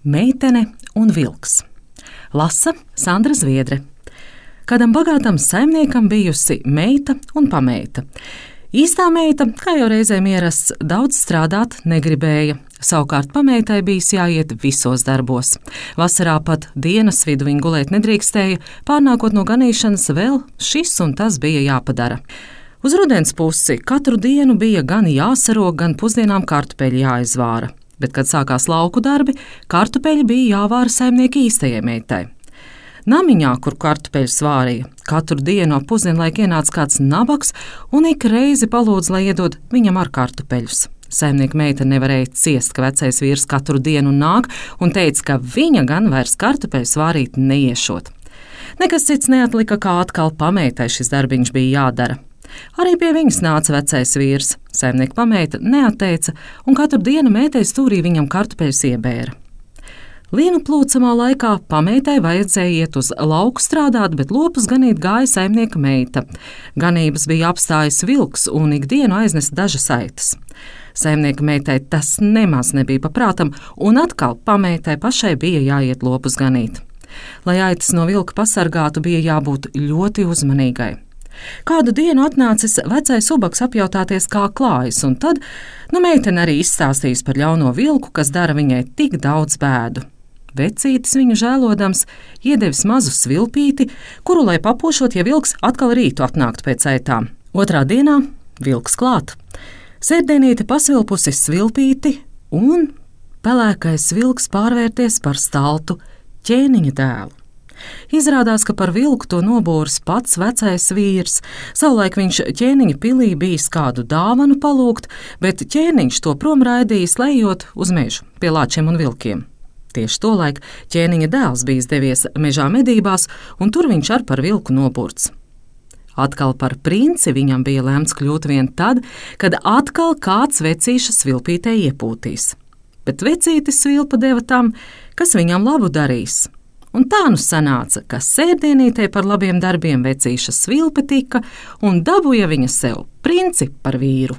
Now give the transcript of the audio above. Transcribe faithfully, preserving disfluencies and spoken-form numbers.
Meitene un vilks. Lasa Sandra Zviedre. Kādam bagātam saimniekam bijusi meita un pameita. Īstā meita, kā jau reizēm ierasts, daudz strādāt negribēja. Savukārt pameitai bijis jāiet visos darbos. Vasarā pat dienas vidu viņa gulēt nedrīkstēja, pārnākot no ganīšanas vēl šis un tas bija jāpadara. Uz rudens pusi katru dienu bija gan jāsarog, gan pusdienām kartupeļi jāizvāra. Bet, kad sākās lauku darbi, kartupeļi bija jāvāra saimnieka īstajai meitai. Namiņā, kur kartupeļus vārīja, katru dienu ap pusdienlaiku ienāca kāds nabaks un ik reizi palūdza, lai iedod viņam ar kartupeļus. Saimnieka meita nevarēja ciest, ka vecais vīrs katru dienu nāk un teica, ka viņa gan vairs kartupeļus vārīt neiešot. Nekas cits neatlika, kā atkal pameitai šis darbiņš bija jādara. Arī pie viņas nāca vecais vīrs. Saimnieka pameita neatteica un katru dienu meitai stūrī viņam kartupeļus iebēra. Lienu plūcamā laikā pameitai vajadzēja iet uz lauku strādāt, bet lopus ganīt gāja saimnieka meita. Ganības bija apstājis vilks un ikdienu aiznesa dažas aitas. Saimnieka meitai tas nemaz nebija paprātam, un atkal pameitai pašai bija jāiet lopus ganīt. Lai aitas no vilka pasargātu, bija jābūt ļoti uzmanīgai. Kādu dienu atnācis vecais ubaks apjautāties, kā klājas, un tad, nu, meitene arī izstāstījis par ļauno vilku, kas dara viņai tik daudz bēdu. Vecītis viņu žēlodams iedevis mazu svilpīti, kuru, lai papošot, ja vilks atkal rītu atnāktu pēc aitām. Otrā dienā vilks klāt. Sērdienīte pasvilpusi svilpīti, un pelēkais vilks pārvērties par staltu ķēniņa dēlu. Izrādās, ka par vilku to nobūris pats vecais vīrs. Savulaik viņš ķēniņa pilī bijis kādu dāvanu palūgt, bet ķēniņš to prom raidījis, lejot uz mežu pie lāčiem un vilkiem. Tieši tolaik ķēniņa dēls bijis devies mežā medībās, un tur viņš ar par vilku nobūrts. Atkal par princi viņam bija lemts kļūt vien tad, kad atkal kāds vecīša svilpītē iepūtīs. Bet vecītis svilpa deva tam, kas viņam labu darīs. Un tā nu sanāca, ka sērdienītei par labiem darbiem vecīša svilpe tika un dabūja viņa sev princi par vīru.